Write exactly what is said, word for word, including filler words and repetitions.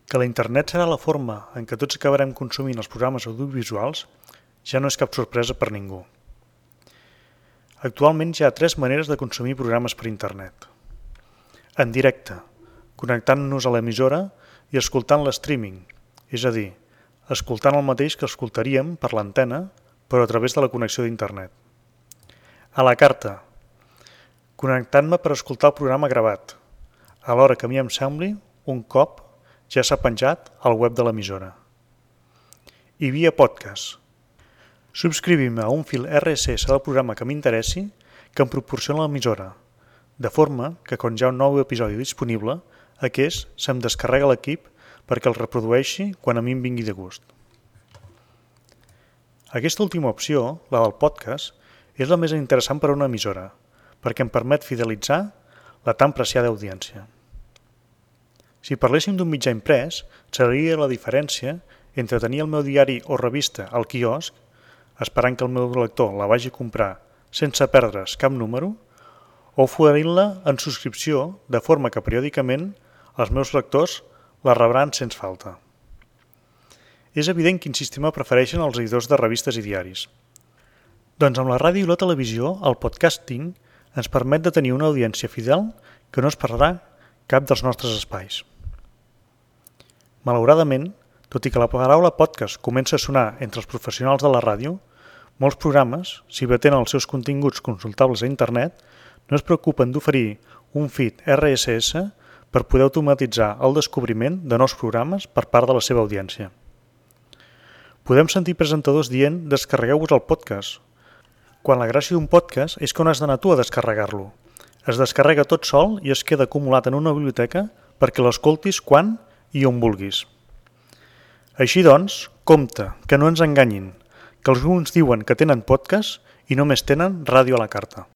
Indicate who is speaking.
Speaker 1: Que la internet serà la forma en què tots acabarem consumint els programes audiovisuals ja no és cap sorpresa per ningú. Actualment hi ha tres maneres de consumir programes per internet. En directe, connectant-nos a l'emissora i escoltant l'streaming, és a dir, escoltant el mateix que escoltaríem per l'antena, però a través de la connexió d'internet. A la carta, connectant-me per escoltar el programa gravat, a l'hora que a mi em sembli, un cop ja s'ha penjat al web de l'emissora. I via podcast. Subscrivim-me a un fil erre esse esse del programa que m'interessi que em proporciona l'emissora, de forma que quan hi ha un nou episodi disponible, aquest se'm descarrega l'equip perquè el reprodueixi quan a mi em vingui de gust. Aquesta última opció, la del podcast, és la més interessant per a una emissora, perquè em permet fidelitzar la tan preciada audiència. Si parléssim d'un mitjà imprès, seria la diferència entre tenir el meu diari o revista al quiosc, esperant que el meu lector la vagi a comprar sense perdre's cap número, o oferint-la en subscripció de forma que periòdicament els meus lectors la rebran sense falta. És evident quin sistema prefereixen els editors de revistes i diaris. Doncs amb la ràdio i la televisió, el podcasting ens permet de tenir una audiència fidel que no es perdrà cap dels nostres espais. Malauradament, tot i que la paraula podcast comença a sonar entre els professionals de la ràdio, molts programes, si bé tenen els seus continguts consultables a internet, no es preocupen d'oferir un feed erre esse esse per poder automatitzar el descobriment de nous programes per part de la seva audiència. Podem sentir presentadors dient «descarregueu-vos el podcast», quan la gràcia d'un podcast és que on has d'anar tu a descarregar-lo. Es descarrega tot sol i es queda acumulat en una biblioteca perquè l'escoltis quan i on vulguis. Així doncs, compte, que no ens enganyin, que alguns diuen que tenen podcast i només tenen ràdio a la carta.